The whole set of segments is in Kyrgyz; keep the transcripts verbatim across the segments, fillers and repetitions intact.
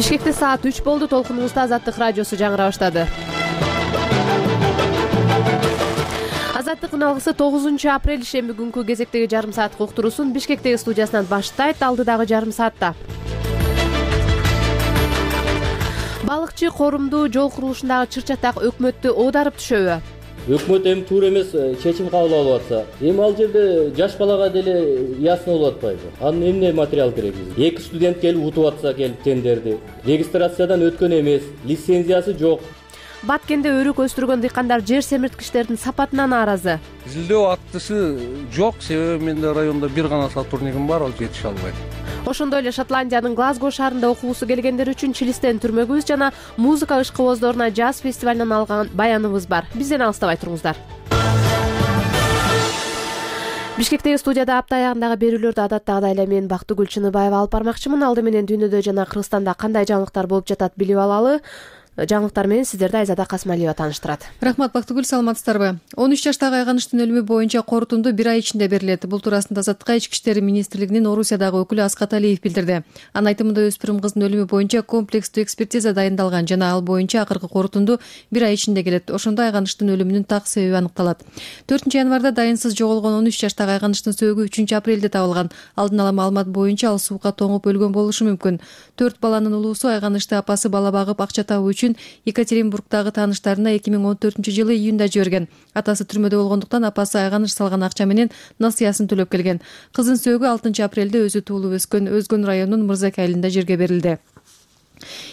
Бишкекте саат үч болду. Толкунубузда Азаттык радиосу жаңыра баштады. Азаттык үналгысы тогузунчу апрель шемби күнкү кезектеги жарым сааттык уктуруусун Бишкектеги студиясынан баштайт. Алдыдагы жарым саатта балыкчы корумду жол курулушундагы чыр-чатак өкмөттү оодарып түшөбү? Өкмөт эми туура эмес чечим кабыл алып атса, эми ал жерде жаш балага деле ясно болуп атпайбы? Анын эмне материал керек бизге? Эки студент келип утуп атса, келип тендерди. Регистрациядан өткөн эмес, лицензиясы жок. Баткенде өрүк өстүргөн дыйкандар жер семирткичтердин сапатына нааразы. Изилдөө актысы жок, себеби менде райондо бир гана сотруднигим бар, ал жетише албайт. Ошондой эле Шотландиянын Глазго шаарында окугусу келгендер үчүн Чилистен түрмөгүбүз жана музыка ышкыбоздоруна джаз фестивалынан алган баяныбыз бар. Бизден алыстабай туруңуздар. Бишкектеги студияда апта аягындагы берүүлөрдү адаттагыдай эле мен Бактыгүл Чыныбаева алып бармакчымын. Алды менен дүйнөдө жана Кыргызстанда кандай жаңылыктар болуп жатат билип алалы. Жаңылыктар менен сиздерди Айзада Касмалиева тааныштырат. Рахмат, Бактыгүл, саламатсыздарбы? он үч жаштагы айганыштын өлүмү боюнча корутунду бир ай ичинде берилет. Бул туурасында Азаттыкка Ички иштер министрлигинин Орусиядагы өкүлү Аскат Алиев билдирди. Анын айтымында өспүрүм кыздын өлүмү боюнча комплекстүү экспертиза дайындалган жана ал боюнча акыркы корутунду бир ай ичинде келет. Ошондо айганыштын өлүмүнүн так себеби аныкталат. төртүнчү январда дайынсыз жоголгон он үч жаштагы айганыштын сөөгү үчүнчү апрелде табылган. Алдын ала маалымат боюнча ал сууга тоңуп өлгөн болушу мүмкүн. Төрт баланын улуусу айганычты апасы бала багып акча табуу үчүн Екатеринбургдагы тааныштарына эки миң он төртүнчү жылы июнда жиберген. Атасы түрмөдө болгондуктан апасы айганыш салган акча менен насыясын төлөп келген. Кыздын сөөгү алтынчы апрелде өзү туулуп өскөн Өзгөн районунун Мырзак айылында жерге берилди.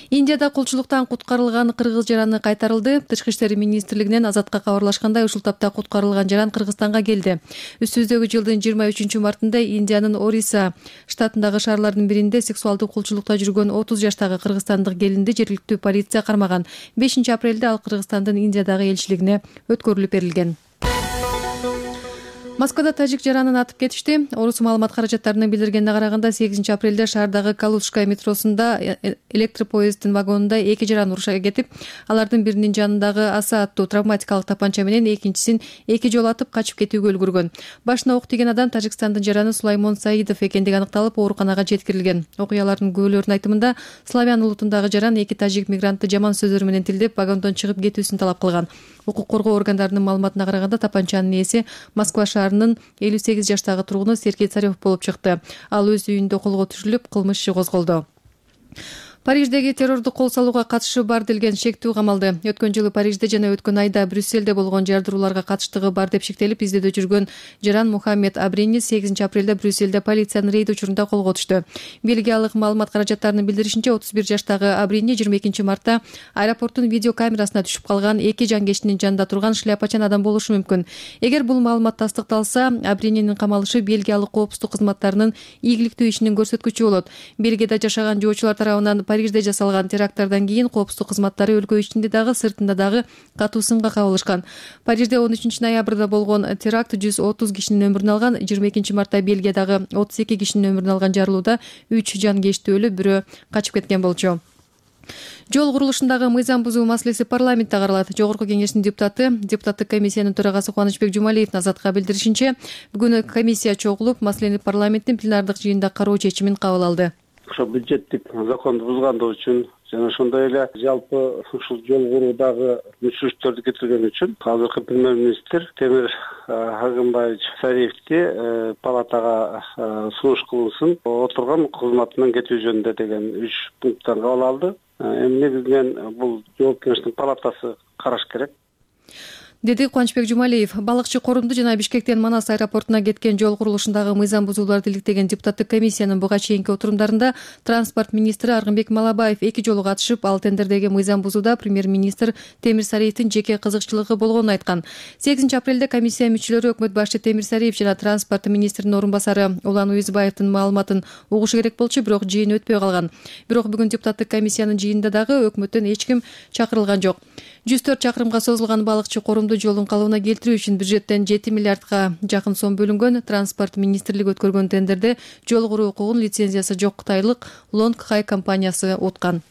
Индияда кулчулуктан куткарылган кыргыз жараны кайтарылды. Тышкы иштер министрлигинен Азатка кабарлашкандай, ушул тапта куткарылган жаран Кыргызстанга келди. Үстүбүздөгү жылдын жыйырма үчүнчү мартында Индиянын Ориса штатындагы шаарлардын биринде сексуалдык кулчулукта жүргөн отуз жаштагы кыргызстандык келинди жергиликтүү полиция кармаган. бешинчи апрелде ал Кыргызстандын Индиядагы элчилигине өткөрүлүп берилген. Москвада тажик жаранын атып кетишти. Орус маалымат каражаттарынын билдиргенине караганда, сегизинчи апрелде шаардагы Калужская метросунда электропоезддин вагонунда эки жаран уруша кетип, алардын биринин жанындагы аса аттуу травматикалык тапанча менен экинчисин эки жолу атып качып кетүүгө үлгүргөн. Башына ок тийген адам Тажикстандын жараны Сулаймон Саидов экендиги аныкталып, ооруканага жеткирилген. Окуялардын күбөлөрүнүн айтымында, славян улутундагы жаран эки тажик мигрантты жаман сөздөр менен тилдеп, вагондон чыгып кетүүсүн талап кылган. Укук коргоо органдарынын маалыматына караганда, тапанчанын ээси Москва шаарынын элүү сегиз жаштагы тургуну Сергей Царев болуп чыкты. Ал өз үйүндө колго түшүрүлүп, кылмыш иши козголду. Париждеги террордук кол салууга катышы бар делген шектүү камалды. Өткөн жылы Парижде жана өткөн айда Брюсселде болгон жардырууларга катыштыгы бар деп шектелип, издөөдө жүргөн жаран Мухаммед Абрини сегизинчи апрелде Брюсселде полициянын рейд учурунда колго түштү. Бельгиялык маалымат каражаттарынын билдиришинче, отуз бир жаштагы Абрини жыйырма экинчи мартта аэропорттун видео камерасына түшүп калган эки жангечтинин жанында турган шляпачан адам болушу мүмкүн. Эгер бул маалымат тастыкталса, Абрининин камалышы Бельгиялык коопсуздук кызматтарынын ийгиликтүү ишинин көрсөткүчү болот. Бельгияда жашаган жоочулар тарабынан Парижде жасалган теракттардан кийин коопсуздук кызматтары өлкө ичинде дагы сыртында дагы катуу сынга кабылышкан. Парижде он үчүнчү ноябрда болгон теракт жүз отуз кишинин өмүрүн алган. жыйырма экинчи мартта Бельгиядагы отуз эки кишинин өмүрүн алган жарылууда үч жангечти өлүп, бирөө качып кеткен болчу. Жол курулушундагы мыйзам бузуу маселеси парламентте каралат. Жогорку кеңештин депутаты, депутаттык комиссиянын төрагасы Кубанычбек Жумалиевдин Азатка билдиришинче, бүгүн комиссия чогулуп, маселени парламенттин пленардык жыйында кароо чечимин кабыл алды. Ошо бюджеттик законду бузгандыгы үчүн жана ошондой эле жалпы ушул жол куруудагы мүчүлүктөрдү кетирген үчүн азыркы премьер-министр Темир Агымбаевич Сариевди палатага сунуш кылынсын, отурган кызматынан кетүү жөнүндө деген үч пункттан кабыл алды. Эми негизинен бул жооп кеңештин палатасы караш керек, деди Кубанычбек Жумалиев. Балыкчы корумду жана Бишкектен Манас аэропортуна кеткен жол курулушундагы мыйзам бузууларды иликтеген депутаттык комиссиянын буга чейинки отурумдарында транспорт министри Аргынбек Малабаев эки жолу катышып, ал тендердеги мыйзам бузууда премьер-министр Темир Сариевдин жеке кызыкчылыгы болгонун айткан. сегизинчи апрелде комиссия мүчөлөрү өкмөт башчы Темир Сариев жана транспорт министринин орун басары Улан Уюзбаевдин маалыматын угушу керек болчу, бирок жыйын өтпөй калган. Бирок бүгүн депутаттык комиссиянын жыйынында дагы өкмөттөн эч ким чакырылган жок. жүз төрт чакырымга созулган балыкчы корумду жолдун калыбына келтирүү үчүн бюджеттен жети миллиардга жакын сом бөлүнгөн. Транспорт министрлиги өткөргөн тендерде жол куруу укугун лицензиясы жок кытайлык Long Hai компаниясы уткан.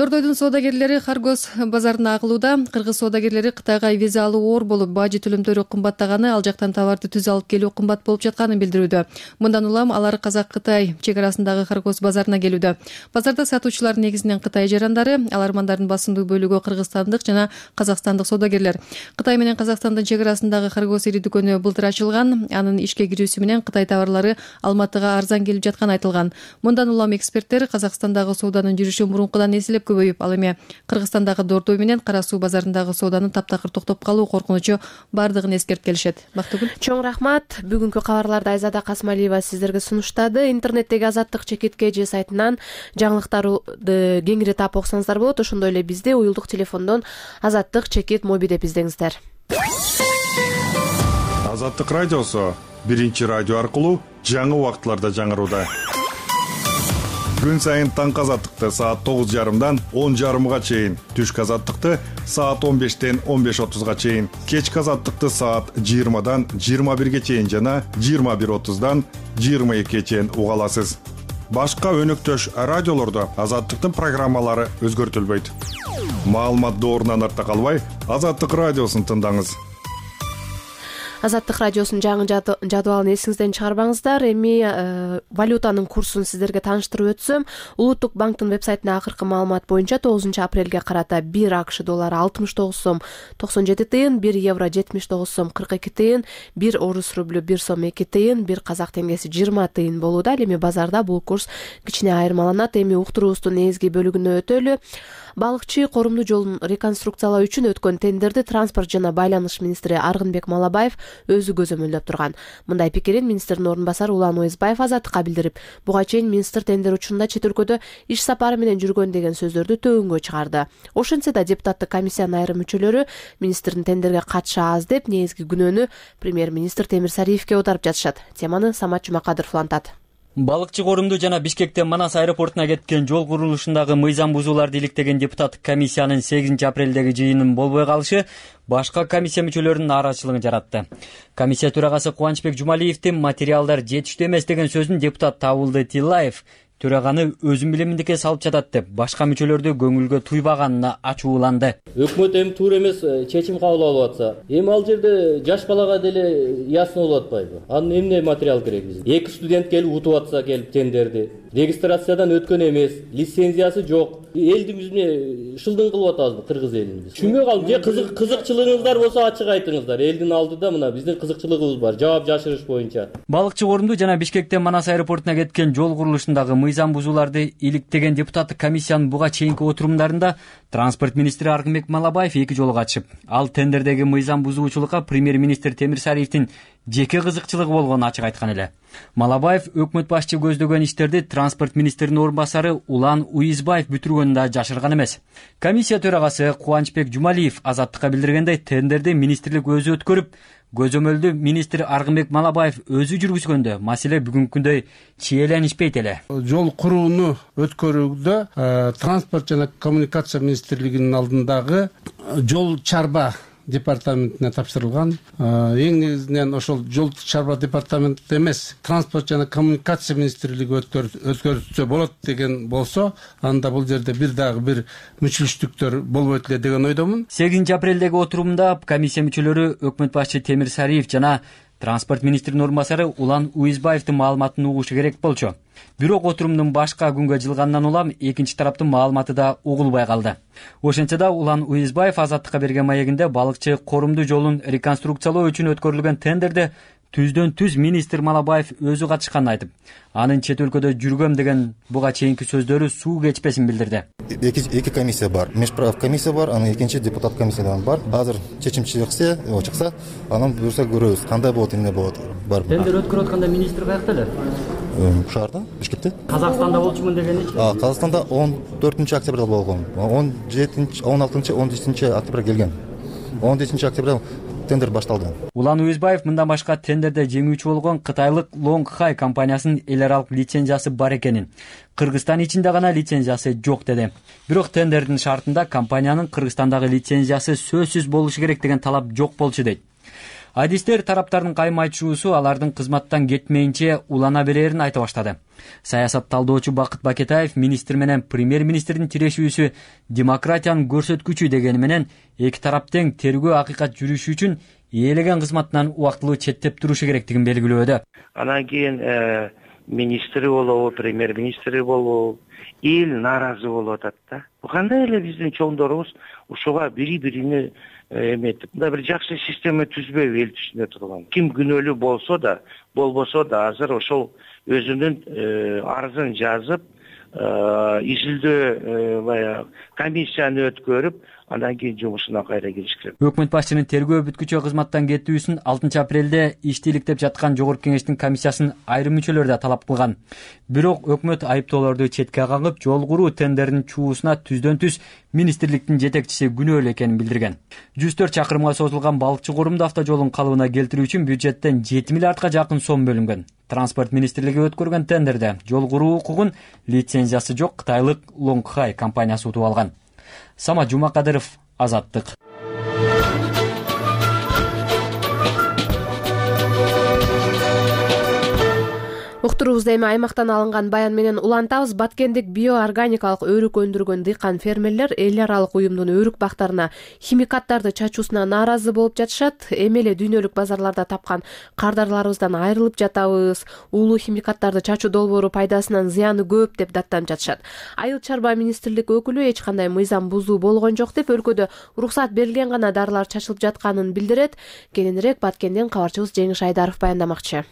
Дордойдун соодагерлери Харгос базарына агылууда. Кыргыз соодагерлери Кытайга виза алуу оор болуп, бажы төлөмдөрү кымбаттаганы, ал жактан товарды түз алып келүү кымбат болуп жатканын билдирүүдө. Мындан улам алар Казак-Кытай чек арасындагы Харгос базарына келүүдө. Базарда сатуучулар негизинен Кытай жарандары, алармандардын басымдуу бөлүгү кыргызстандык жана казакстандык соодагерлер. Кытай менен Казакстандын чек арасындагы Харгос ири дүкөнү былтыр ачылган. Анын ишке кирүүсү менен Кытай товарлары Алматыга арзан келип жатканы айтылган. Мындан улам эксперттер Казакстандагы сооданын жүрүшү мурункудан эселеп көбөйүп, ал эми Кыргызстандагы Дордой менен Кара Суу базарындагы сооданын таптакыр токтоп калуу коркунучу бардыгын эскертип келишет. Бактыгүл. Чоң рахмат. Бүгүнкү кабарларды Айзада Касмалиева сиздерге сунуштады. Интернеттеги Азаттык чекитке же сайтынан жаңылыктарды кеңири таап окусаңыздар болот. Ошондой эле бизди уюлдук телефондон Азаттык чекит моби деп издеңиздер. Азаттык радиосу биринчи радио аркылуу жаңы убакытларда жаңырууда. Күн сайын таңкы азаттыкты саат тогуз жарымдан он жарымга чейин, түшкү азаттыкты саат он бештен он беш отузга чейин, кечки азаттыкты саат жыйырмадан жыйырма бирге чейин жана жыйырма бир отуздан жыйырма экиге чейин уга аласыз. Башка өнөктөш радиолордо азаттыктын программалары өзгөртүлбөйт. Маалымат доорунан артта калбай, Азаттык радиосун тыңдаңыз. Азаттык радиосунун жаңы жадыбалын эсиңизден чыгарбаңыздар. Эми э, валютанын курсун сиздерге тааныштырып өтсөм, Улуттук банктын вебсайтына акыркы маалымат боюнча тогузунчу апрелге карата бир АКШ доллары алтымыш тогуз сом токсон жети тыйын, бир евро жетимиш тогуз сом кырк эки тыйын, бир орус рублю бир сом эки тыйын, бир казак теңгеси жыйырма тыйын болууда. Эми базарда бул курс кичине айырмаланат. Эми уктуруубуздун негизги бөлүгүнө өтөлү. Балыкчы коомдуу жолун реконструкциялоо үчүн өткөн тендерди транспорт жана байланыш министри Аргынбек Малабаев өзү көзөмөлдөп турган. Мындай пикирин министрдин орун басары Улан Уйзбаев Азаттыкка билдирип, буга чейин министр тендер учурунда чет өлкөдө иш сапары менен жүргөн деген сөздөрдү төөгөнгө чыгарды. Ошентсе да депутаттык комиссиянын айрым мүчөлөрү министрдин тендерге катышы аз деп негизги күнөөнү премьер-министр Темир Сариевке аударып жатышат. Теманы Самат Жумакадыров улантат. Балыкчы корумду жана Бишкектен Манас аэропортуна кеткен жол курулушундагы мыйзам бузууларды иликтеген депутаттык комиссиянын сегизинчи апрелдеги жыйынын болбой калышы башка комиссия мүчөлөрүнүн нааразычылыгын жаратты. Комиссия төрагасы Кубанычбек Жумалиевдин материалдар жетиштүү эмес деген сөзүн депутат Табылды Тиллаев төраганы өзүм билиминдикке салып жатат деп башка мүчөлөрдү көңүлгө туйбаганына ачууланды. Өкмөт эми туура эмес чечим кабыл алып атса, эми ал жерде жаш балага деле ясно болуп атпайбы? Анын эмне материал керек бизге? Эки студент келип утуп атса келип тендерди, регистрациядан өткөн эмес, лицензиясы жок. Элди бизне шылдың кылып атабызбы кыргыз элин биз? Түшүнбөй калдым. Же кызык кызыкчылыгыңыздар болсо ачык айтыңыздар. Элдин алдыда мына биздин кызыкчылыгыбыз бар, жаап жашырыш боюнча. Балыкчы корумду жана Бишкектен Манас аэропортуна кеткен жол курулушундагы мыйзам бузууларды иликтеген депутаттык комиссиянын буга чейинки отурумдарында транспорт министри Аргынбек Малабаев эки жолу катышып, ал тендердеги мыйзам бузуучулукка премьер-министр Темир Сариевдин жеке кызыкчылыгы болгонун ачык айткан эле. Малабаев өкмөт башчы көздөгөн иштерди транспорт министринин орун басары Улан Уйзбаев бүтүргөнүн да жашырган эмес. Комиссия төрагасы Кубанычбек Жумалиев Азаттыкка билдиргендей, тендерди министрлик өзү өткөрүп, көзөмөлдү министр Аргынбек Малабаев өзү жүргүзгөндө маселе бүгүнкүндөй чиеленишпейт эле. Жол курууну өткөрүүдө транспорт жана коммуникация министрлигинин алдындагы жол чарба департаментине тапшырылган. Эң негизинен ошол жол чарба департаменти эмес, транспорт жана коммуникация министрлиги өткөрүлсө болот деген болсо, анда бул жерде бир дагы бир мүчүлүштүктөр болбойт эле деген ойдомун. сегизинчи апрелдеги отурумда комиссия мүчөлөрү өкмөт башчы Темир Сариев жана транспорт министринин орун басары Улан Уйзбаевдин маалыматын угушу керек болчу. Бирок отурумдун башка күнгө жылгандан улам экинчи тараптын маалыматы да угулбай калды. Ошентсе да Улан Уйзбаев Азаттыкка берген маегинде балыкчы корумду жолун реконструкциялоо үчүн өткөрүлгөн тендерде түздөн түз министр Малабаев өзү катышканын айтып, анын чет өлкөдө жүргөм деген буга чейинки сөздөрү суу кечпесин билдирди. Эки эки комиссия бар. Мешправ комиссия бар, анан экинчи депутат комиссиядан бар. Азыр чечим чыкса, чыкса, анан буюрса көрөбүз, кандай болот, эмне болот. Бар. Тендер өткөрүп атканда министр каякта эле? Шаарда, Бишкекте. Казакстанда болчумун дегеничи? А, Казакстанда он төртүнчү октябрда болгон. он жетинчи, он алтынчы, он жетинчи октябрда келген. он жетинчи октябрда тендер башталды. Улан Уйзбаев мындан башка тендерде жеңүүчү болгон кытайлык Long Hai компаниясынын эл аралык лицензиясы бар экенин, Кыргызстан ичинде гана лицензиясы жок деди. Бирок тендердин шартында компаниянын Кыргызстандагы лицензиясы сөзсүз болушу керек деген талап жок болчу дейт. Адистер тараптардын кайым айтышуусу алардын кызматтан кетмейинче улана берерин айта баштады. Саясат талдоочу Бакыт Бакетаев министр менен премьер-министрдин тирешүүсү демократиянын көрсөткүчү дегени менен эки тарап тең тергөө акыйкат жүрүшү үчүн ээлеген кызматынан убактылуу четтеп турушу керектигин белгилөөдө. Анан кийин министри болобу, премьер-министри болобу, эл нааразы болуп атат да. Кандай эле биздин чоңдорубуз ушуга бири-бирине эметип, мындай бир жакшы система түзбөйбү эл түшүнө турган. Ким күнөөлүү болсо да, болбосо да азыр ошол өзүнүн арызын жазып, изилдөө баягы комиссияны өткөрүп, андан кийин жумушуна кайра кириш керек. Өкмөт башчынын тергөө бүткүчө кызматтан кетүүсүн алтынчы апрелде иштеликтеп жаткан Жогорку Кеңештин комиссиясынын айрым мүчөлөрү да талап кылган. Бирок өкмөт айыптоолорду четке кагып, жол куруу тендеринин чуусуна түздөн түз министрликтин жетекчиси күнөөлүү экенин билдирген. жүз төрт чакырымга созулган балыкчы корумду автожолун калыбына келтирүү үчүн бюджеттен жети миллиардка жакын сом бөлүнгөн. Транспорт министрлиги өткөргөн тендерде жол куруу укугун лицензиясы жок кытайлык Лонгхай компаниясы утуп алган. Самат Жумакадыров, Азаттык. Уктуруубузда эми аймактан алынган баян менен улантабыз. Баткендик биоорганикалык өрүк өндүргөн дыйкан фермерлер эл аралык уюмдун өрүк бактарына химикаттарды чачуусуна нааразы болуп жатышат. Эми эле дүйнөлүк базарларда тапкан кардарларыбыздан айрылып жатабыз. Уулуу химикаттарды чачуу долбоору пайдасынан зыяны көп деп даттанып жатышат. Айыл чарба министрлик өкүлү эч кандай мыйзам бузуу болгон жок деп өлкөдө уруксат берилген гана дарылар чачылып жатканын билдирет. Кененирээк Баткенден кабарчыбыз Жеңиш Айдаров баяндамакчы.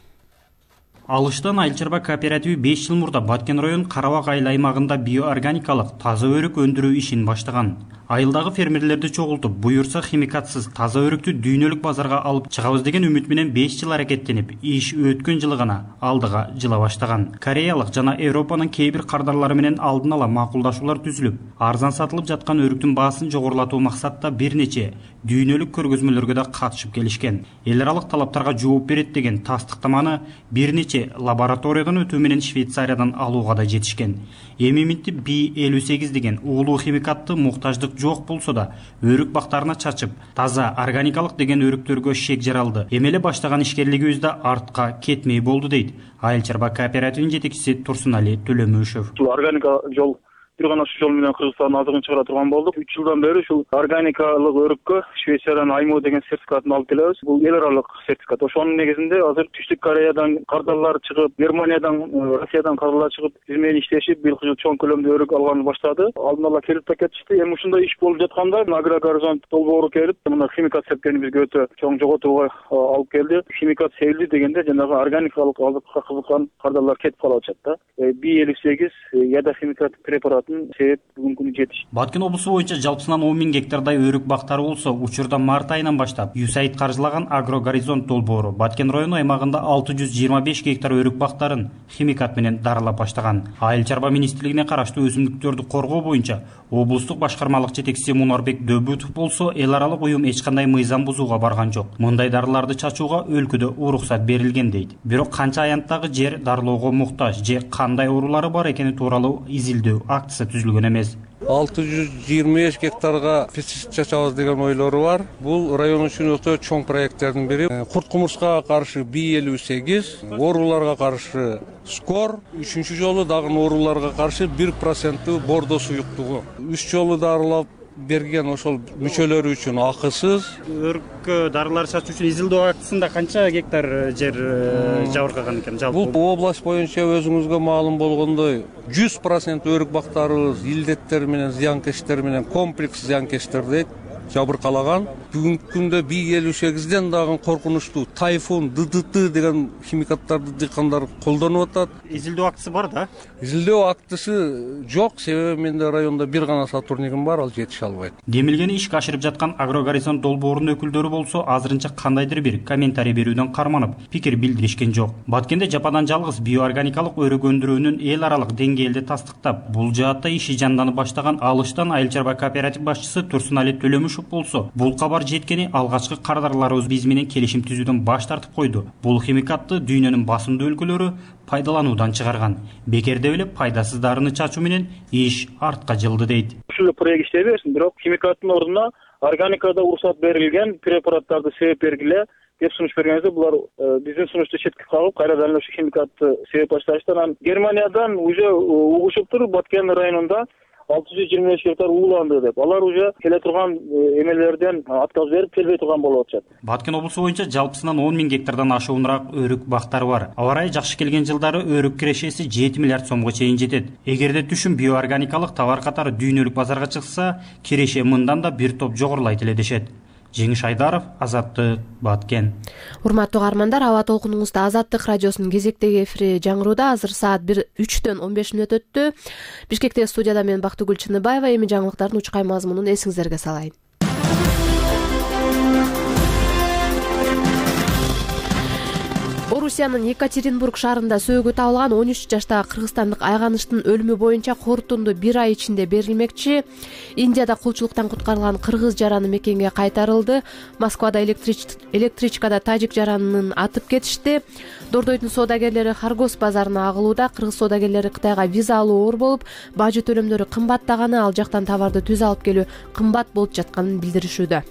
Алыштан айыл чарба кооперативи беш жыл мурда Баткен район Карабак айыл аймагында биоорганикалык таза өрүк өндүрүү ишин баштаган. Айылдагы фермерлерди чогултуп, буюрса химикатсыз таза өрүктү дүйнөлүк базарга алып чыгабыз деген үмүт менен беш жыл аракеттенип, иш өткөн жылы гана алдыга жыла баштаган. Кореялык жана Европанын кээ бир кардарлары менен алдын ала макулдашуулар түзүлүп, арзан сатылып жаткан өрүктүн баасын жогорулатуу максатта бир нече дүйнөлүк көргөзмөлөргө да катышып келишкен. Эл аралык талаптарга жооп берет деген тастыктаманы бир нече лабораториядан өтүү менен Швейцариядан алууга да жетишкен. Эми минтип би элүү сегиз деген уулуу химикатты муктаждык жок болсо да өрүк бактарына чачып, таза органикалык деген өрүктөргө шек жаралды. Эми эле баштаган ишкерлигибиз да артка кетмей болду дейт Айыл чарба кооперативинин жетекчиси Турсунали Төлөмүшев. Органика жол бир гана ушул жол менен Кыргызстандын азыгын чыгара турган болдук. үч жылдан бери ушул органикалык өрүккө Швейцариядан Аймо деген сертификатын алып келебиз. Бул эл аралык сертификат. Ошонун негизинде азыр Түштүк Кореядан кардарлар чыгып, Германиядан, Россиядан кардарлар чыгып, биз менен иштешип, быйылкы жыл чоң көлөмдө өрүк алганды баштады. Алдын ала келип да кетишти. Эми ушундай иш болуп жатканда Агрогоризонт долбоору келип, мына химикат сепкени бизге өтө чоң жоготууга алып келди. Химикат себилди дегенде жанагы органикалык азыкка кызыккан кардарлар кетип калып атышат да. би элүү сегиз яда химикат препарат себеп бүгүнкү күнү жетиш. Баткен облусу боюнча жалпысынан он миң гектардай өрүк бактары болсо, учурда март айынан баштап ю эс эй ай ди каржылаган Агрогоризонт долбоору Баткен району аймагында алты жүз жыйырма беш гектар өрүк бактарын химикат менен дарылап баштаган. Айыл чарба министрлигине караштуу өсүмдүктөрдү коргоо боюнча облустук башкармалык жетекчиси Мунарбек Дөбүтов болсо, эл аралык уюм эч кандай мыйзам бузууга барган жок. Мындай дарыларды чачууга өлкөдө уруксат берилген дейт. Бирок канча аянттагы жер дарылоого муктаж же кандай оорулары бар экени тууралуу изилдөө актысы түзүлгөн эмес. алты жүз жыйырма беш гектарга пестицид чачабыз деген ойлору бар. Бул район үчүн өтө чоң проекттердин бири. Курт кумурскага каршы би элүү сегиз, ооруларга каршы скор, үчүнчү жолу дагы ооруларга каршы бир проценттүү бордо суюктугу. үч жолу дарылап берген ошол мүчөлөрү үчүн акысыз. Өрүккө дарылар чачуу үчүн изилдөө актысында канча гектар жер жабыркаган экен жалпы? Бул область боюнча өзүңүзгө маалым болгондой жүз процент өрүк бактарыбыз илдеттер менен, зыянкечтер менен, комплекс зыянкечтер дейт, жабыркалаган. Бүгүнкү күндө би элүү сегизден дагы коркунучтуу тайфун, ди ди ти деген химикаттарды дыйкандар колдонуп атат. Изилдөө актысы бар да? Изилдөө актысы жок, себеби менде районда бир гана сотруднигим бар, ал жетише албайт. Демилгени ишке ашырып жаткан Агрогоризонт долбоорунун өкүлдөрү болсо, азырынча кандайдыр бир комментарий берүүдөн карманып, пикир билдиришкен жок. Баткенде жападан жалгыз биоорганикалык өрүк өндүрүүнүн эл аралык деңгээлде тастыктап, бул жаатта иши жанданып баштаган Алыштан айыл чарба кооператив башчысы Турсунали Төлөмүшев болсо, бул кабар жеткени алгачкы кардарларыбыз биз менен келишим түзүүдөн баш тартып койду. Бул химикатты дүйнөнүн басымдуу өлкөлөрү пайдалануудан чыгарган. Бекерде эле пайдасыз дарыны чачуу менен иш артка жылды дейт. Ушул проект иштей берсин, бирок химикаттын ордуна органикада уруксат берилген препараттарды себеп бергиле, деп сунуш бергенибизде булар биздин сунушту четке кагып кайрадан эле ошо химикатты себеп башташты. Анан Германиядан уже угушуптур Баткен районунда алты жүз жыйырма беш гектар ууланды деп. Алар уже келе турган эмелерден отказ берип келбей турган болуп атышат. Баткен облусу боюнча жалпысынан он миң гектардан ашуунураак өрүк бактары бар. Аба ырайы жакшы келген жылдары өрүк кирешеси жети миллиард сомго чейин жетет. Эгерде түшүм биоорганикалык товар катары дүйнөлүк базарга чыкса, киреше мындан да бир топ жогорулайт эле дешет. Жеңиш Айдаров, Азаттык, Баткен. Урматтуу каармандар, аба толкунуңузда Азаттык радиосунун кезектеги эфири жаңырууда. Азыр саат үчтөн он беш мүнөт өттү. Бишкектеги студияда мен Бактыгүл Чыныбаева. Эми жаңылыктардын учкай мазмунун эсиңиздерге салайын. Орусиянын Екатеринбург шаарында сөөгү табылган он үч жаштагы кыргызстандык айганыштын өлүмү боюнча корутунду бир ай ичинде берилмекчи. Индияда кулчулуктан куткарылган кыргыз жараны мекенге кайтарылды. Москвада электричкада тажик жаранын атып кетишти. Дордойдун соодагерлери Харгос базарына агылууда. Кыргыз соодагерлери Кытайга виза алуу оор болуп, бажы төлөмдөрү кымбаттаганы, ал жактан товарды түз алып келүү кымбат болуп жатканын билдиришүүдө.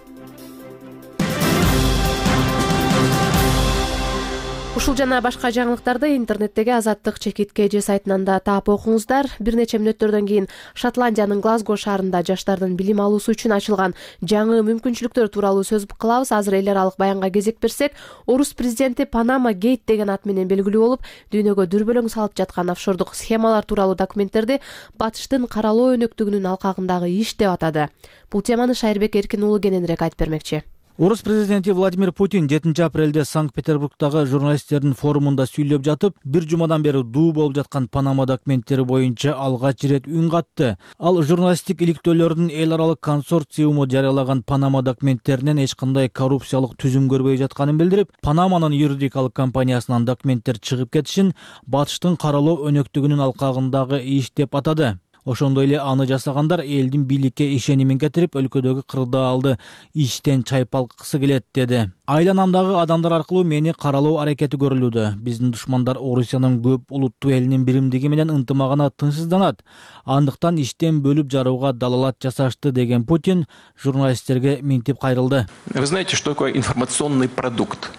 Ушул жана башка жаңылыктарды интернеттеги Азаттык чекитке же сайтынан да таап окуңуздар. Бир нече мүнөттөрдөн кийин Шотландиянын Глазго шаарында жаштардын билим алуусу үчүн ачылган жаңы мүмкүнчүлүктөр тууралуу сөз кылабыз. Азыр эл аралык баянга кезек берсек, орус президенти Панама Гейт деген ат менен белгилүү болуп, дүйнөгө дүрбөлөң салып жаткан офшордук схемалар тууралуу документтерди батыштын каралоо өнөктүгүнүн алкагындагы иш деп атады. Бул теманы Шайырбек Эркин уулу кененирээк айтып бермекчи. Орус президенти Владимир Путин жетинчи апрелде Санкт-Петербургдагы журналисттердин форумунда сүйлөп жатып, бир жумадан бери дуу болуп жаткан Панама документтери боюнча алгач ирет үн катты. Ал журналисттик иликтөөлөрдүн эл аралык консорциуму жарыялаган Панама документтеринен эч кандай коррупциялык түзүм көрбөй жатканын билдирип, Панаманын юридикалык компаниясынан документтер чыгып кетишин батыштын каралоо өнөктүгүнүн алкагындагы иш деп атады. Ошондой эле аны жасагандар элдин бийликке ишенимин кетирип, өлкөдөгү кырдаалды иштен чайпалткысы келет деди. Айланамдагы адамдар аркылуу мени каралоо аракети көрүлүүдө. Биздин душмандар Орусиянын көп улуттуу элинин биримдиги менен ынтымагына тынчсызданат. Андыктан иштен бөлүп жарууга далалат жасашты деген Путин журналисттерге минтип кайрылды. Вы знаете, что такое информационный продукт?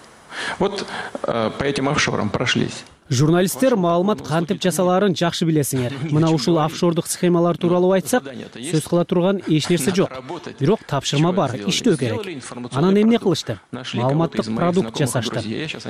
Вот по этим офшорам прошлись. Журналисттер маалымат кантип жасалаарын жакшы билесиңер. Мына ушул офшордук схемалар тууралуу айтсак, сөз кыла турган эч нерсе жок. Бирок тапшырма бар, иштөө керек. Анан эмне кылышты? Маалыматтык продукт жасашты.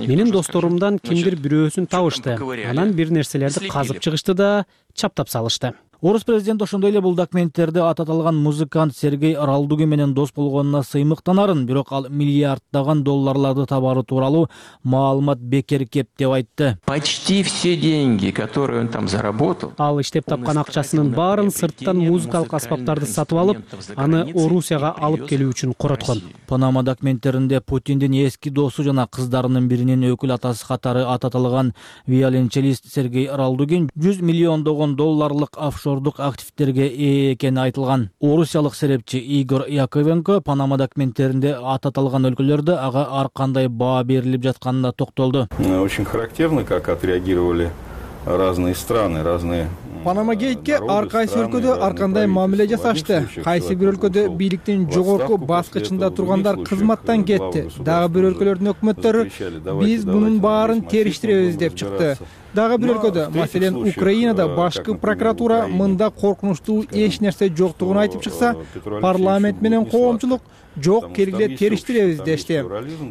Менин досторумдан кимдир бирөөсүн табышты. Анан бир нерселерди казып чыгышты да чаптап салышты. Орус президенти ошондой эле бул документтерди ат аталган музыкант Сергей Ралдугин менен дос болгонуна сыймыктанарын, бирок ал миллиарддаган долларларды табары тууралуу маалымат бекер кеп деп айтты. Почти все деньги, которые он там заработал. Ал иштеп тапкан акчасынын баарын сырттан музыкалык аспаптарды сатып алып, аны Орусияга алып келүү үчүн короткон. Панама документтеринде Путиндин эски досу жана кыздарынын биринин өкүл атасы катары ат аталган виолончелист Сергей Ралдугин жүз миллиондогон долларлык офшор активтерге ээ экени айтылган. Орусиялык серепчи Игорь Яковенко Панама документтеринде ат аталган өлкөлөрдө ага ар кандай баа берилип жатканына токтолду. Очень характерно, как отреагировали разные страны, разные. Панама гейтке ар кайсы өлкөдө ар кандай мамиле жасашты. Кайсы бир өлкөдө бийликтин жогорку баскычында тургандар кызматтан кетти. Дагы бир өлкөлөрдүн өкмөттөрү биз мунун баарын териштиребиз деп чыкты. Дагы бир өлкөдө, маселен Украинада башкы прокуратура мында коркунучтуу эч нерсе жоктугун айтып чыкса, парламент менен коомчулук жок, келгиле териштиребиз дешти.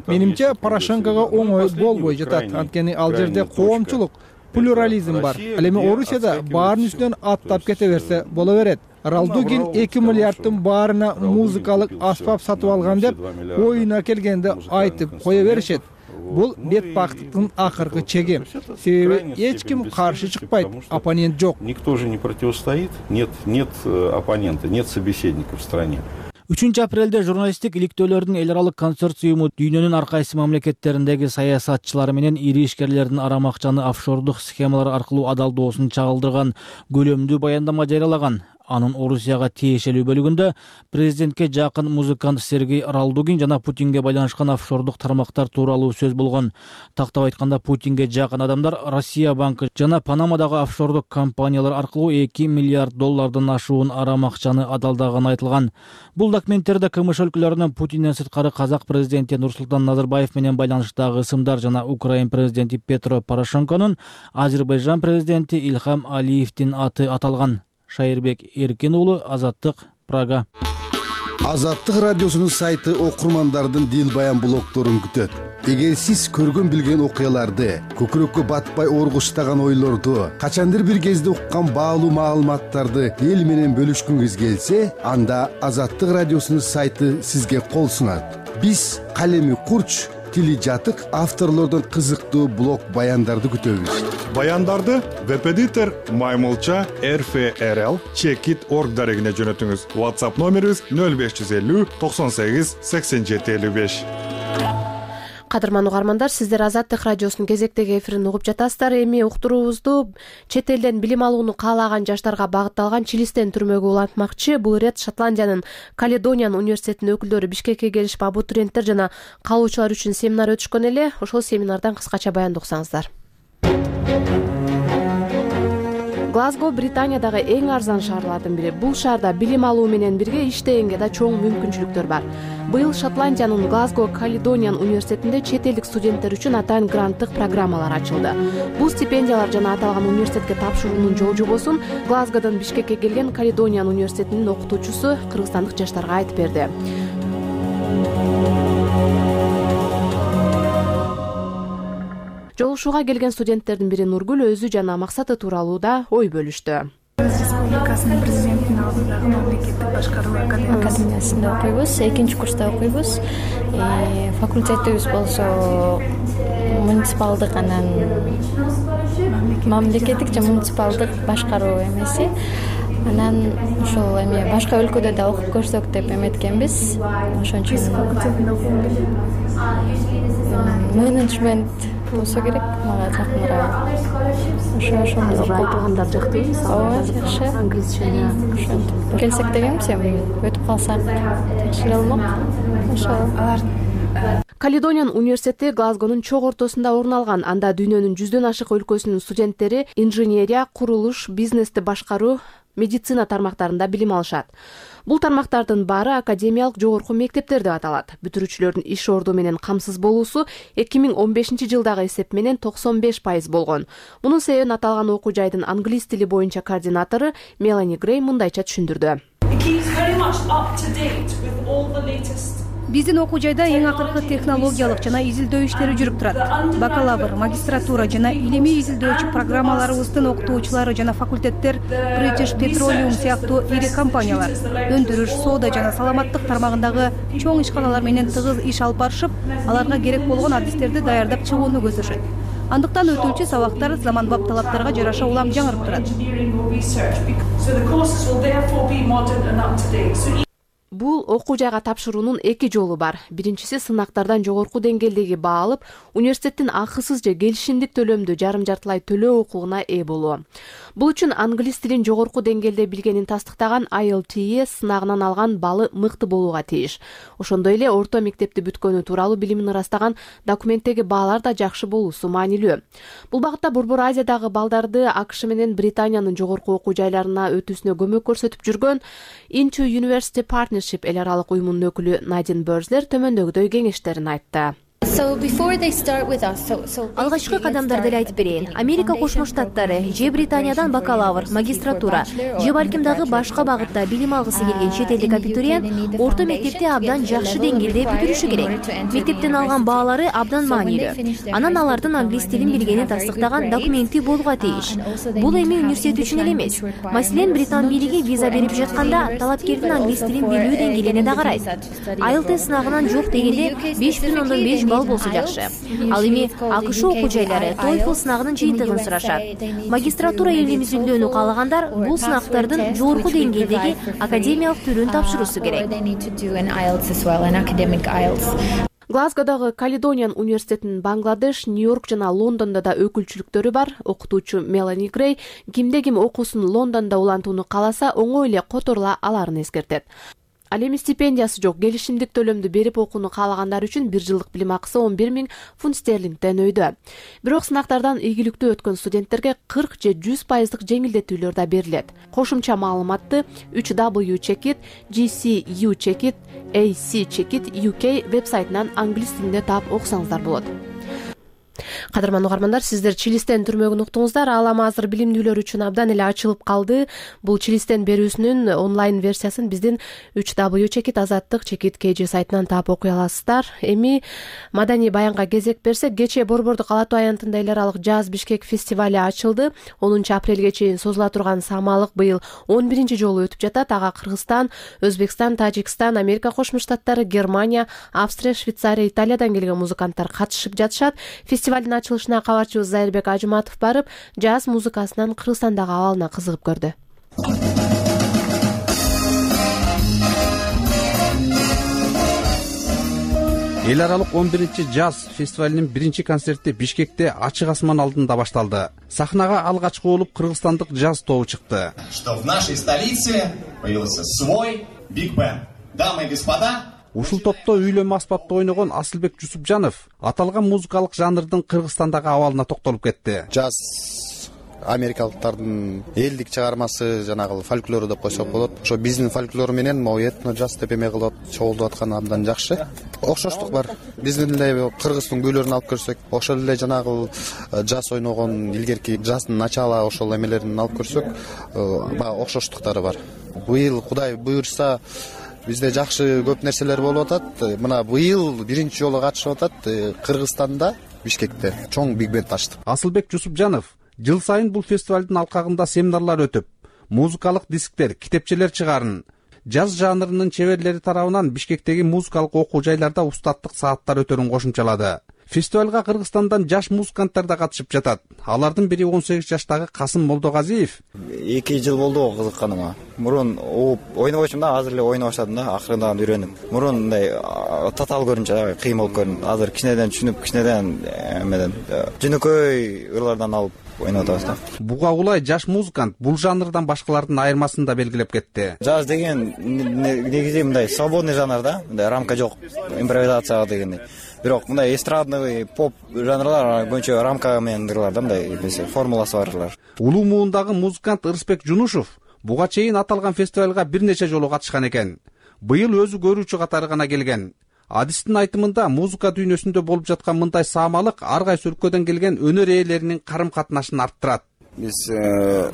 Менимче Порошенкого оңой болбой жатат. Анткени ал жерде коомчулук, плюрализм бар. Ал эми Орусияда баарын үстүнөн аттап кете берсе боло берет. Ралдугин эки миллиардтын баарына музыкалык аспап сатып алган деп оюна келгенде айтып кое беришет. Бул бетбактыктын акыркы чеги. Себеби эч ким каршы чыкпайт, оппонент жок. Никто же не противостоит, нет, нет оппонента, нет собеседника в стране. үчүнчү апрелде журналисттик иликтөөлөрдүн эл аралык консорциуму дүйнөнүн ар кайсы мамлекеттериндеги саясатчылары менен ири ишкерлердин арам акчаны офшордук схемалар аркылуу адалдоосун чагылдырган көлөмдүү баяндама жарыялаган. анын Орусияга тиешелүү бөлүгүндө президентке жакын музыкант Сергей Ралдугин жана Путинге байланышкан офшордук тармактар тууралуу сөз болгон. Тактап айтканда, Путинге жакын адамдар Россия банкы жана Панамадагы офшордук компаниялар аркылуу эки миллиард доллардан ашуун арам акчаны адалдаганы айтылган. Бул документтерде КМШ өлкөлөрүнүн Путинден сырткары казак президенти Нурсултан Назарбаев менен байланыштагы ысымдар жана Украин президенти Петро Порошенконун Азербайжан президенти Ильхам Алиевдин аты аталган. Шайырбек Эркин уулу, Азаттык, Прага. Азаттык радиосунун сайты окурмандардын дил баян блогторун күтөт. Эгер сиз көргөн билген окуяларды, көкүрөккө батпай оргуштаган ойлорду, качандыр бир кезде уккан баалуу маалыматтарды эл менен бөлүшкүңүз келсе, анда Азаттык радиосунун сайты сизге кол сунат. Биз калеми курч, тили жатык авторлордон кызыктуу блог баяндарды күтөбүз. Баяндарды веб-эдитор Маймылча эр эф эр эл чекит точка орг дарегине жөнөтүңүз. WhatsApp номерибиз нөл беш жүз элүү токсон сегиз сексен жети элүү беш. Кадырман угармандар, сиздер Азаттык радиосунун кезектеги эфирин угуп жатасыздар. Эми уктуруубузду чет элден билим алууну каалаган жаштарга багытталган Чилистен түрмөгө улантмакчы. Бул ирет Шотландиянын Каледониан университетинин өкүлдөрү Бишкекке келишип, абитуриенттер жана калуучулар үчүн семинар өтүшкөн эле. Ошол семинардан кыскача баянды уксаңыздар. Глазго Британиядагы эң арзан шаарлардын бири. Бул шаарда билим алуу менен бирге иштегенге да чоң мүмкүнчүлүктөр бар. Быйыл Шотландиянын Глазго Каледониан университетинде чет элдик студенттер үчүн атайын гранттык программалар ачылды. Бул стипендиялар жана аталган университетке тапшыруунун жол жобосун Глазгодон Бишкекке келген Каледониан университетинин окутуучусу кыргызстандык жаштарга айтып берди. Жолугушууга келген студенттердин бири Нургүл өзү жана максаты тууралуу да ой бөлүштү. Республикасынын президентинин алдындагы мамлекеттик башкаруу академиясында окуйбуз, экинчи курста окуйбуз. Факультетибиз болсо муниципалдык анан мамлекеттик жана муниципалдык башкаруу эмеси. Анан ошол эми башка өлкөдө да окуп көрсөк деп эметкенбиз. Ошон үчүн факультетинде окугум келет. Менеджмент болсо керек, мага жакыныраак. Ошо ошондо окутгандар жактыбы? Ооба, жакшы. Англисчени ошентип келсек дегенбиз, эми өтүп калсак жакшы эле болмок. Ошо алар Каледониан университети Глазгонун чок ортосунда орун алган. Анда дүйнөнүн жүздөн ашык өлкөсүнүн студенттери инженерия, курулуш, бизнести башкаруу, медицина тармактарында билим алышат. Бул тармактардын баары академиялык жогорку мектептер деп аталат. Бүтүрүүчүлөрдүн иш орду менен камсыз болуусу эки миң он бешинчи жылдагы эсеп менен токсон беш пайыз болгон. Мунун себебин аталган окуу жайдын англис тили боюнча координатору Мелани Грей мындайча түшүндүрдү. Биздин окуу жайда эң акыркы технологиялык жана изилдөө иштери жүрүп турат. Бакалавр, магистратура жана илимий изилдөөчү программаларыбыздын окутуучулары жана факультеттер British Petroleum сыяктуу ири компаниялар, өндүрүш, соода жана саламаттык тармагындагы чоң ишканалар менен тыгыз иш алып барышып, аларга керек болгон адистерди даярдап чыгууну көздөшөт. Андыктан өтүүчү сабактар заманбап талаптарга жараша улам жаңырып турат. Бул окуу жайга тапшыруунун эки жолу бар. Биринчиси сынактардан жогорку деңгээлдеги баа алып, университеттин акысыз же келишимдик төлөмдү жарым жартылай төлөө укугуна ээ болуу. Бул үчүн англис тилин жогорку деңгээлде билгенин тастыктаган ай эл ти эс сынагынан алган баллы мыкты болууга тийиш. Ошондой эле орто мектепти бүткөнү тууралуу билимин ырастаган документтеги баалар да жакшы болуусу маанилүү. Бул багытта Борбор Азиядагы балдарды АКШ менен Британиянын жогорку окуу жайларына өтүүсүнө көмөк көрсөтүп жүргөн Into University Partnership эл аралык уюмунун өкүлү Надин Бörзлер төмөндөгүдөй кеңештерин айтты. Алгачкы кадамдарды эле айтып берейин. Америка Кошмо Штаттары же Британиядан бакалавр, магистратура же балким дагы башка багытта билим алгысы келген чет элдик абитуриент орто мектепти абдан жакшы деңгээлде бүтүрүшү керек. Мектептен алган баалары абдан маанилүү. Анан алардын англис тилин билгенин тастыктаган документи болууга тийиш. Бул эми университет үчүн эле эмес. Маселен, Британ бийлиги виза берип жатканда талапкердин англис тилин билүү деңгээлине да карайт. ай эл ти эс сынагынан жок дегенде беш бүтүн ондон беш балл болсо жакшы. Ал эми АКШ окуу жайлары TOEFL сынагынын жыйынтыгын сурашат. Магистратура илим изилдөөнү каалагандар бул сынактардын жогорку деңгээлдеги академиялык түрүн тапшыруусу керек. Глазгодогу Каледониан университетинин Бангладеш, Нью-Йорк жана Лондондо да өкүлчүлүктөрү бар. Окутуучу Мелани Грей кимде ким окуусун Лондондо улантууну кааласа, оңой эле которула аларын эскертет. Ал эми стипендиясы жок, келишимдик төлөмдү берип окууну каалагандар үчүн бир жылдык билим акысы он бир миң фунт стерлингден өйдө. Бирок сынактардан ийгиликтүү өткөн студенттерге кырк же жүз пайыздык жеңилдетүүлөр да берилет. Кошумча маалыматты үч дабл ю чекит, джи си ю чекит, эй си чекит ю кей вебсайтынан англис тилинде таап окусаңыздар болот. Кадырман угармандар, сиздер Чилистен түрмөгүн уктуңуздар. Ал эми азыр билимдүүлөр үчүн абдан эле ачылып калды. Бул Чилистен берүүсүнүн онлайн версиясын биздин үч дабл ю чекит азаттык чекит кей жи сайтынан таап окуй аласыздар. Эми маданий баянга кезек берсек, кечээ Борбордук Ала Тоо аянтында эл аралык Жаз Бишкек фестивали ачылды. онунчу апрелге чейин созула турган самалык быйыл он биринчи жолу өтүп жатат. Ага Кыргызстан, Өзбекстан, Тажикстан, Америка Кошмо Штаттары, Германия, Австрия, Швейцария, Италиядан келген музыканттар катышып жатышат. Фестивалдын ачылышына кабарчыбыз Зайырбек Ажыматов барып, жаз музыкасынын Кыргызстандагы абалына кызыгып көрдү. Эл аралык он биринчи жаз фестивалинин биринчи концерти Бишкекте ачык асман алдында башталды. Сахнага алгачкы болуп кыргызстандык жаз тобу чыкты. Что в нашей столице появился свой Big Band. Дамы и господа, Ушул топто үйлөнмө аспапта ойногон Асылбек Жусупжанов аталган музыкалык жанрдын Кыргызстандагы абалына токтолуп кетти. Жаз америкалыктардын элдик чыгармасы, жанагы фольклору деп койсок болот. Ошо биздин фольклор менен могу этно жаз деп эме кылып чогултуп атканы абдан жакшы. Окшоштук бар. Биздин эле кыргыздын күйлөрүн алып көрсөк, ошол эле жанагы жаз ойногон илгерки жаздын начала ошол эмелерин алып көрсөк, баягы окшоштуктары бар. Быйыл Кудай буйрса бизде жакшы көп нерселер болуп атат. Мына быйыл биринчи жолу катышып атат Кыргызстанда, Бишкекте чоң биг бенд ачтык. Асылбек Жусупжанов жыл сайын бул фестивалдын алкагында семинарлар өтүп, музыкалык дисктер, китепчелер чыгарын, жаз жанрынын чеберлери тарабынан Бишкектеги музыкалык окуу жайларда устаттык сааттар өтөрүн кошумчалады. Фестивалга Кыргызстандан жаш музыканттар да катышып жатат. Алардын бири он сегиз жаштагы Касым Молдогазиев. эки жыл болду кызыкканыма. Мурун ойнобочумун да, азыр эле ойноп баштадым да, акырындан үйрөнүп. Мурун мындай татаал көрүнчү, кыйын болуп көрүндү. Азыр кичинеден түшүнүп, кичинеден эмеден жөнөкөй ырлардан алып ойноп атабыз да. Буга улай жаш музыкант бул жанрдан башкалардын айырмасын да белгилеп кетти. Жаз деген негизи мындай свободный жанр да, мындай рамка жок, импровизация дегендей. Бирок мындай эстрадный поп жанрлар боюнча рамка менен ырлар да, мындай формуласы бар ырлар. Улуу муундагы музыкант Ырысбек Жунушев буга чейин аталган фестивалга бир нече жолу катышкан экен. Быйыл өзү көрүүчү катары гана келген. Адистин айтымында музыка дүйнөсүндө болуп жаткан мындай саамалык ар кайсы өлкөдөн келген өнөр ээлеринин карым катнашын арттырат. Биз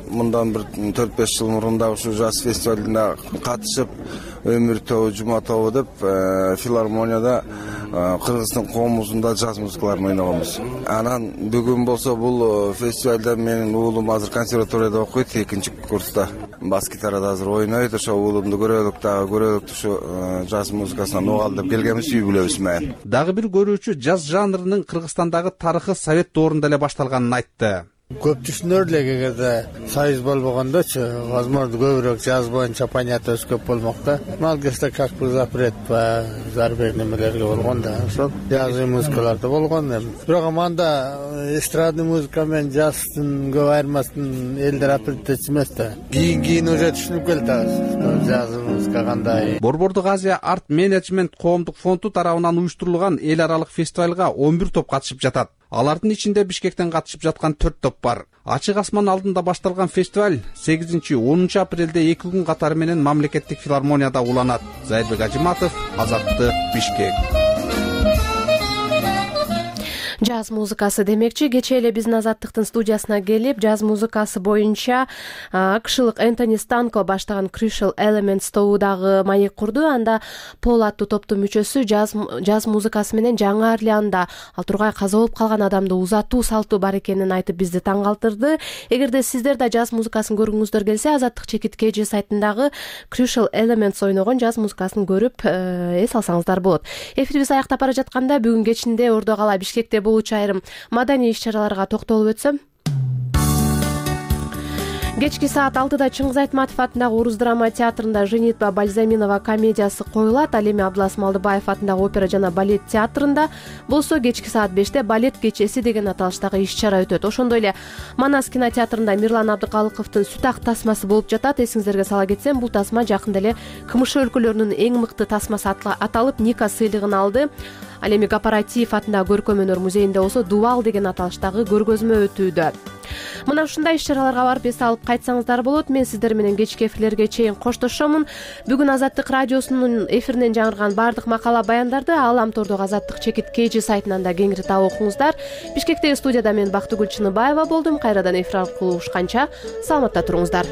мындан бир төрт беш жыл мурун да ушул жаз фестивалына катышып, өмүр тобу, жума тобу деп филармонияда Кыргыздын коомубузунда жаз музыкаларын ойногонбуз. Анан бүгүн болсо бул фестивалда менин уулум азыр консерваторияда окуйт, экинчи курста. Бас гитарада азыр ойнойт. Ошо уулумду көрөлүк дагы көрөлүк ушу жаз музыкасынан угалы деп келгенбиз үй бүлөбүз менен. Дагы бир көрүүчү жаз жанрынын Кыргызстандагы тарыхы Совет доорунда эле башталганын айтты. Көп түшүнөр эле кегерде союз болбогондочу, возможно, көбүрөөк жаз боюнча понятиябыз көп болмок да. Ал кезде как бы запрет по зарубежный немелерге болгон да. Ошол жазгы музыкаларда болгон. Бирок анда эстрадный музыка менен жаздын көп айырмасын элдер апреттечи эмес да. Кийин-кийин уже түшүнүп келатабыз. Жазгы музыка кандай. Борбордук Азия арт менеджмент коомдук фонду тарабынан уюштурулган эл аралык фестивалга он бир топ катышып жатат. Алардын ичинде Бишкектен катышып жаткан төрт топ бар. Ачык асман алдында башталган фестиваль сегизинчи онунчу апрелде эки күн катары менен мамлекеттик филармонияда уланат. Зайырбек Ажыматов, Азаттык, Бишкек. Жаз музыкасы демекчи, кечээ эле биздин Азаттыктын студиясына келип, жаз музыкасы боюнча акшылык Энтони Станко баштаган Crucial Elements тобудагы маек курду. Анда Пол аттуу топтун мүчөсү жаз жаз музыкасы менен Жаңы Орлеанда ал тургай каза болуп калган адамды узатуу салту бар экенин айтып бизди таң калтырды. Эгерде сиздер да жаз музыкасын көргүңүздөр келсе, Азаттык чекит кей жи сайтындагы Crucial Elements ойногон жаз музыкасын көрүп эс алсаңыздар болот. Эфирибиз аяктап бара жатканда бүгүн кечинде Ордо кала Бишкекте болуучу айрым маданий иш-чараларга токтолуп өтсөм. Кечки саат алтыда Чыңгыз Айтматов атындагы Орус драма театрында Женитьба Бальзаминова комедиясы коюлат. Ал эми Абдылас Малдыбаев атындагы опера жана балет театрында болсо кечки саат беште балет кечеси деген аталыштагы иш-чара өтөт. Ошондой эле Манас кинотеатрында Мирлан Абдыкалыковдун Сүт ак тасмасы болуп жатат. Эсиңиздерге сала кетсем, бул тасма жакында эле КМШ өлкөлөрүнүн эң мыкты тасмасы аталып Ника сыйлыгын алды. Ал эми Кооператив атындагы көркөм өнөр музейинде болсо Дубал деген аталыштагы көргөзмө өтүүдө. Мына ушундай иш-чараларга барып эс алып кайтсаңыздар болот. Мен сиздер менен кечки эфирлерге чейин коштошомун. Бүгүн Азаттык радиосунун эфиринен жаңырган баардык макала баяндарды Алам тордогу Азаттык чекит kg сайтынан да кеңири таап окуңуздар. Бишкектеги студияда мен Бактыгүл Чыныбаева болдум. Кайрадан эфир аркылуу угушканча саламатта туруңуздар.